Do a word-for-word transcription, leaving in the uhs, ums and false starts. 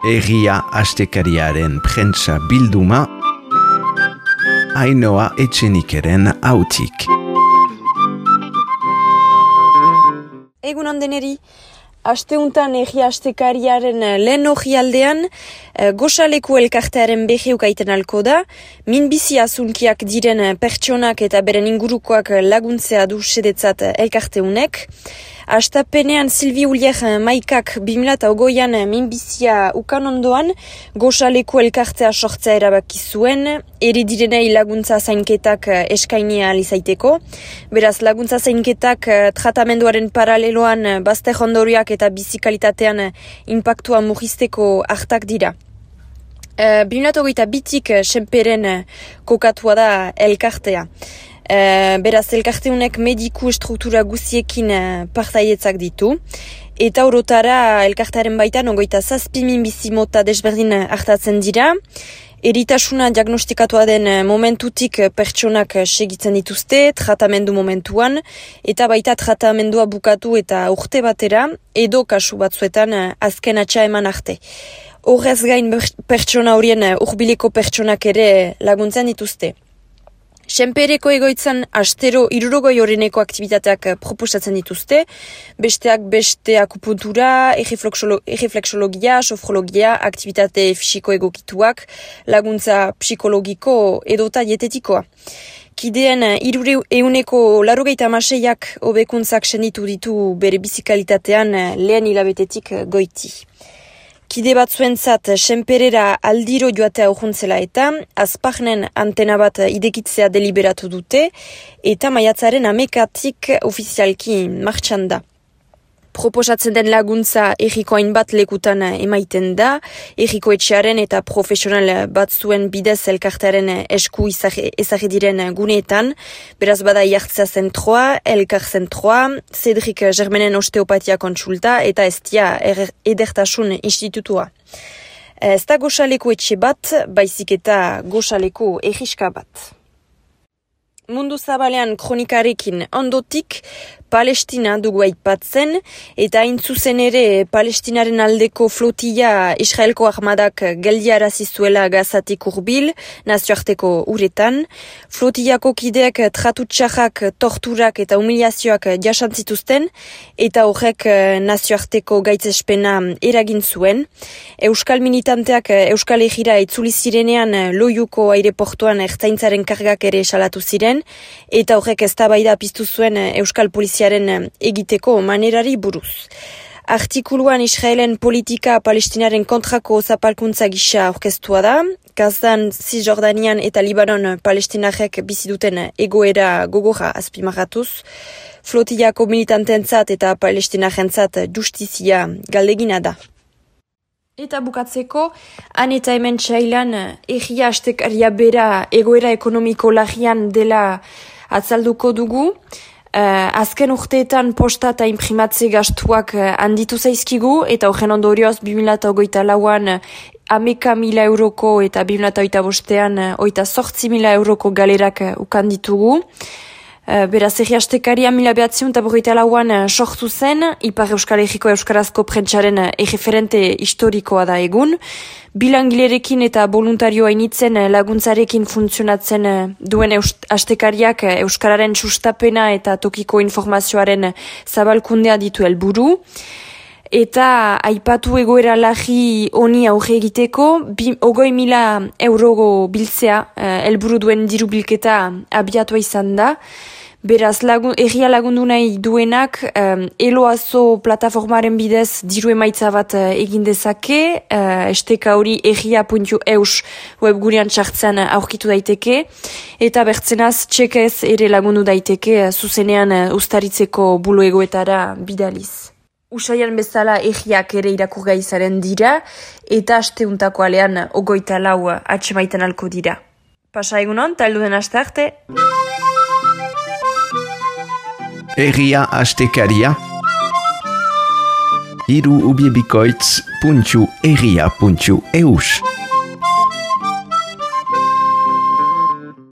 Egia astekariaren prentsa bilduma, Ainhoa Etxenikeren hautik. Egun ondeneri, asteuntan Egia astekariaren lehen orrialdean, Goxaleku elkartearen beheukaiten alko da, minbizi azunkiak diren pertsonak eta beren ingurukoak laguntzea du sedetzat elkarteunek. Astapenean Silvi Ulier maikak bimila eta ogoian minbizia ukan ondoan, Goxaleku elkartea sortzea erabaki zuen, eri direnei laguntza zainketak eskainia alizaiteko. Beraz, laguntza zainketak tratamenduaren paraleloan bazter ondoriak eta bizikalitatean impactua murrizteko hartak dira. Uh, bimila eta ogoita bitik senperen kokatua da elkartea. Uh, beraz, elkarteunek mediku struktura guziekin uh, partaietzak ditu. Eta orotara elkartearen baitan ogoita zazpi minbizi mota desberdin hartatzen dira. Eritasuna diagnostikatua den momentutik pertsonak segitzen dituzte, tratamendu momentuan, eta baita tratamendua bukatu eta urte batera, edo kasu batzuetan azken atxa eman arte. Horrez gain pertsona horien urbileko pertsonak ere laguntzen dituzte. Senpereko egoitzan astero hirurogei horreneko aktivitateak proposatzen dituzte, besteak beste akupuntura, erreflexologia, sofrologia, aktivitate fisiko egokituak, laguntza psikologiko edota dietetikoa. Kideen hirure euneko larogeita hamaseiak hobekuntzak senditu ditu bere bizikalitatean lehen hilabetetik goiti. Kide batzuentzat senperera aldiro joatea urruntzela eta azpagnen antena bat idekitzea deliberatu dute eta maiatzaren amekatik ofizialki martxan da. Proposatzen den laguntza erriko hainbat lekutan emaiten da, erriko etxearen eta profesional batzuen bidez elkartearen esku ezagri diren guneetan, beraz bada jartzea zentroa, elkar zentroa, Cedric Germenen osteopatia kontsulta eta estia edertasun institutua. Ez da Goxaleku etxe bat, baizik eta Goxaleku erriska bat. Mundu zabalean kronikarekin ondotik, Palestina dugu aipatzen, eta hain zuzen ere Palestinaren aldeko flotilla Israelko armadak geldiarazi zuela Gazatik hurbil, nazioarteko uretan. Flotillako kideak tratutxarrak, torturak eta humiliazioak jasantzituzten, eta horrek nazioarteko gaitzespena eragin zuen. Euskal militanteak Euskal Herrira itzuli zirenean Loiuko aireportuan ertzaintzaren kargak ere salatu ziren, eta horrek eztabaida piztu zuen Euskal Poliziaren egiteko manerari buruz. Artikuluan Israelen politika Palestinaren kontrako zapalkuntza gisa aurkeztua da, Gazan, Cisjordanian eta Libanon palestinarek bizi duten egoera gogorra azpimarratuz, flotillako militantentzat eta palestinarentzat justizia galdegina da. Eta bukatzeko, han eta hemen txailan Egia astekaria bera egoera ekonomiko larrian dela atzalduko dugu. Uh, azken urteetan posta eta imprimatze gastuak uh, handitu zaizkigu, eta horren ondorioz bi mila hogeita lauan hameka mila euroko eta bi mila hogeita bostean uh, hogeita zortzi mila euroko galerak uh, ukan ditugu. Uh, beraz, Egia astekaria mila behatziun eta berrogeita lauan uh, sortu zen, Ipar Euskal Herriko Euskarazko prentsaren uh, erreferente historikoa da egun. Bilangilerekin eta voluntarioa initzen laguntzarekin funtzionatzen duen astekariak Euskararen sustapena eta tokiko informazioaren zabalkundea ditu helburu. Eta aipatu egoera larri honi aurre egiteko, ogoi mila euro biltzea helburu duen diru bilketa abiatua izan da. Beraz, lagun, erria lagundu nahi duenak, um, eloazo plataformaren bidez diru emaitza bat uh, egin dezake, uh, esteka hori erria puntu eus webgunean txartzen aurkitu daiteke, eta bertzenaz txekez ere lagundu daiteke uh, zuzenean uh, ustaritzeko buloegoetara bidaliz. Usaian bezala erriak ere irakurgai zaren dira, eta asteuntako alean ogoita lau atxemaiten alko dira. Pasa egunon, taldu den aste arte. Egia astekaria hiru ubiebikoitz puntu egia puntu eus